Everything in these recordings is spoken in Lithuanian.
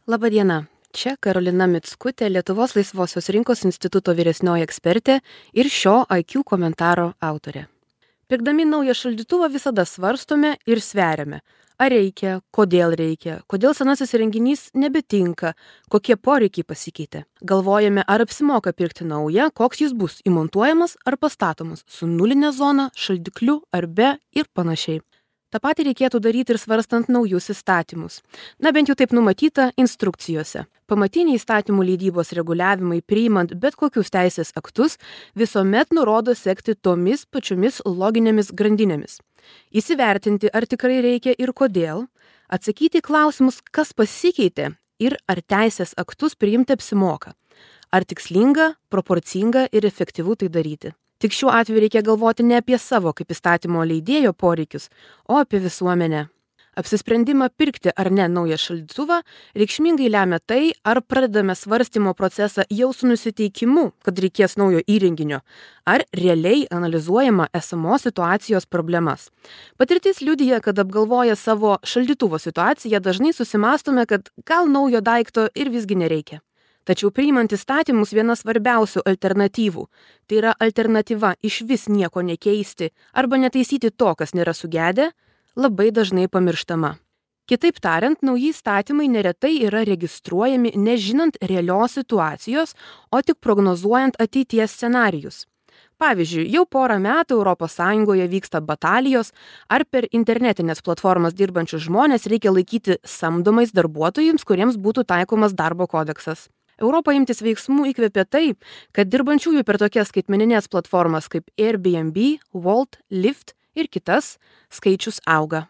Labadiena, čia Karolina Mickutė, Lietuvos laisvosios rinkos instituto vyresnioji ekspertė ir šio IQ komentaro autorė. Pirkdami naują šaldytuvą visada svarstome ir sveriame, ar reikia, kodėl senasis įrenginys nebetinka, kokie poreikiai pasikeitė. Galvojame, ar apsimoka pirkti naują, koks jis bus įmontuojamas ar pastatomas, su nulinė zona, šaldikliu ar be ir panašiai. Ta patį reikėtų daryti ir svarstant naujus įstatymus. Bent jau taip numatyta instrukcijose. Pamatiniai įstatymų leidybos reguliavimai priimant bet kokius teisės aktus visuomet nurodo sekti tomis pačiomis loginėmis grandinėmis. Įsivertinti, ar tikrai reikia ir kodėl, atsakyti klausimus, kas pasikeitė ir ar teisės aktus priimti apsimoka. Ar tikslinga, proporcinga ir efektyvu tai daryti. Tik šiuo atveju reikia galvoti ne apie savo kaip įstatymo leidėjo poreikius, o apie visuomenę. Apsisprendimą pirkti ar ne naują šaldytuvą reikšmingai lemia tai, ar pradedame svarstymo procesą jau su nusiteikimu, kad reikės naujo įrenginio, ar realiai analizuojama esamos situacijos problemas. Patirtis liudija, kad apgalvoję savo šaldytuvo situaciją dažnai susimastome, kad gal naujo daikto ir visgi nereikia. Tačiau priimant įstatymus viena svarbiausių alternatyvų, tai yra alternatyva išvis nieko nekeisti arba netaisyti to, kas nėra sugedę, labai dažnai pamirštama. Kitaip tariant, nauji įstatymai neretai yra registruojami nežinant realios situacijos, o tik prognozuojant ateities scenarijus. Pavyzdžiui, jau porą metų ES vyksta batalijos, ar per internetinės platformas dirbančius žmonės reikia laikyti samdomais darbuotojams, kuriems būtų taikomas darbo kodeksas. Europą imtis veiksmų įkvėpė tai, kad dirbančiųjų per tokias skaitmeninės platformas kaip Airbnb, Wolt, Lyft ir kitas skaičius auga.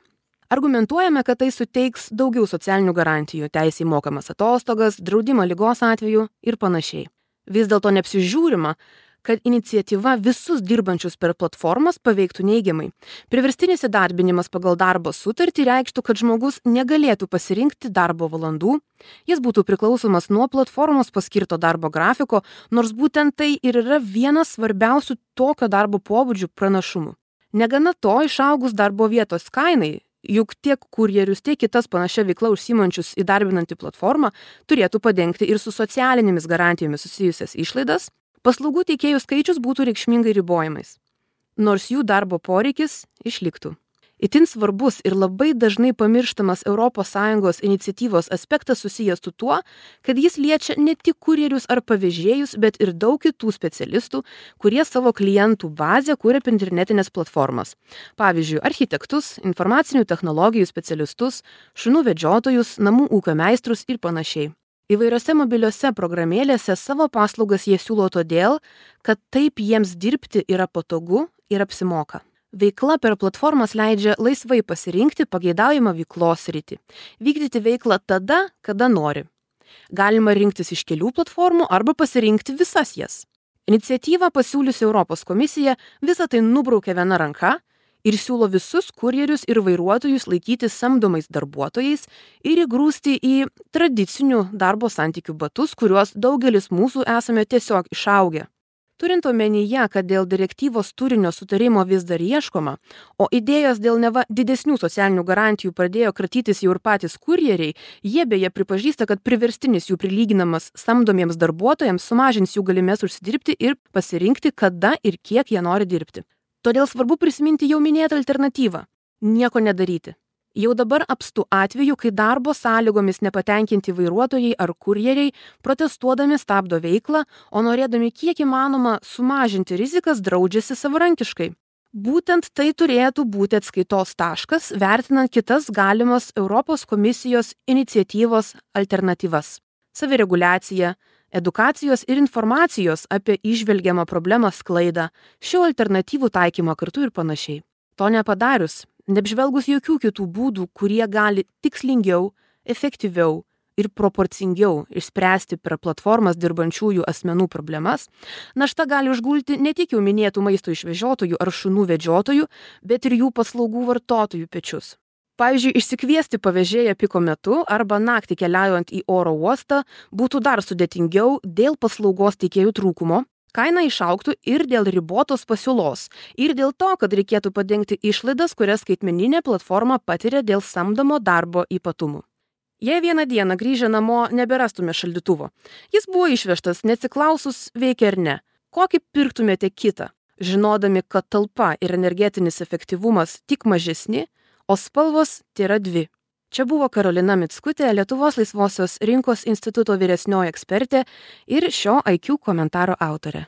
Argumentuojame, kad tai suteiks daugiau socialinių garantijų, teisę į mokamas atostogas, draudimą ligos atveju ir panašiai. Vis dėlto neapsižiūrima, kad iniciatyva visus dirbančius per platformas paveiktų neigiamai. Priverstinis įdarbinimas pagal darbo sutartį reikštų, kad žmogus negalėtų pasirinkti darbo valandų, jis būtų priklausomas nuo platformos paskirto darbo grafiko, nors būtent tai ir yra vienas svarbiausių tokio darbo pobūdžių pranašumų. Negana to, išaugus darbo vietos kainai, juk tiek kurjerius, tiek kitas panašia veikla užsiimančius įdarbinantį platformą turėtų padengti ir su socialinėmis garantijomis susijusias išlaidas, paslaugų teikėjų skaičius būtų reikšmingai ribojamais, nors jų darbo poreikis išliktų. Itin svarbus ir labai dažnai pamirštamas ES iniciatyvos aspektas susijęs su tuo, kad jis liečia ne tik kurjerius ar pavežėjus, bet ir daug kitų specialistų, kurie savo klientų bazę kuria per internetinės platformas. Pavyzdžiui, architektus, informacinių technologijų specialistus, šunų vedžiotojus, namų ūkio meistrus ir panašiai. Įvairiose mobiliose programėlėse savo paslaugas jie siūlo todėl, kad taip jiems dirbti yra patogu ir apsimoka. Veikla per platformas leidžia laisvai pasirinkti pageidaujamą veiklos sritį, vykdyti veiklą tada, kada nori. Galima rinktis iš kelių platformų arba pasirinkti visas jas. Iniciatyvą pasiūliusi Europos komisija visą tai nubraukė viena ranka ir siūlo visus kurjerius ir vairuotojus laikyti samdomais darbuotojais ir įgrūsti į tradicinių darbo santykių batus, kuriuos daugelis mūsų esame tiesiog išaugę. Turint omenyje, kad dėl direktyvos turinio sutarimo vis dar ieškoma, o idėjos dėl neva didesnių socialinių garantijų pradėjo kratytis jau ir patys kurjeriai, jie beje pripažįsta, kad priverstinis jų prilyginamas samdomiems darbuotojams sumažins jų galimės užsidirbti ir pasirinkti, kada ir kiek jie nori dirbti. Todėl svarbu prisiminti jau minėtą alternatyvą – nieko nedaryti. Jau dabar apstu atveju, kai darbo sąlygomis nepatenkinti vairuotojai ar kurjeriai protestuodami stabdo veiklą, o norėdami kiek įmanoma sumažinti rizikas draudžiasi savarankiškai. Būtent tai turėtų būti atskaitos taškas, vertinant kitas galimas Europos komisijos iniciatyvos alternatyvas. Savireguliacija, edukacijos ir informacijos apie įžvelgiamą problemą sklaidą, šių alternatyvų taikymą kartu ir panašiai. To nepadarius, neapžvelgus jokių kitų būdų, kurie gali tikslingiau, efektyviau ir proporcingiau išspręsti per platformas dirbančiųjų asmenų problemas, našta gali užgulti ne tik jau minėtų maisto išvežiotojų ar šunų vedžiotojų, bet ir jų paslaugų vartotojų pečius. Pavyzdžiui, išsikviesti pavežėją piko metu arba naktį keliaujant į oro uostą būtų dar sudėtingiau dėl paslaugos teikėjų trūkumo, kaina išaugtų ir dėl ribotos pasiūlos, ir dėl to, kad reikėtų padengti išlaidas, kurias skaitmeninė platforma patiria dėl samdomo darbo ypatumų. Jei vieną dieną grįžę namo neberastume šaldytuvo, jis buvo išvežtas neatsiklausus veikia ar ne, kokį pirktumėte kitą, žinodami, kad talpa ir energetinis efektyvumas tik mažesni, o spalvos tėra dvi. Čia buvo Karolina Mickutė, Lietuvos laisvosios rinkos instituto vyresnioji ekspertė ir šio IQ komentaro autorė.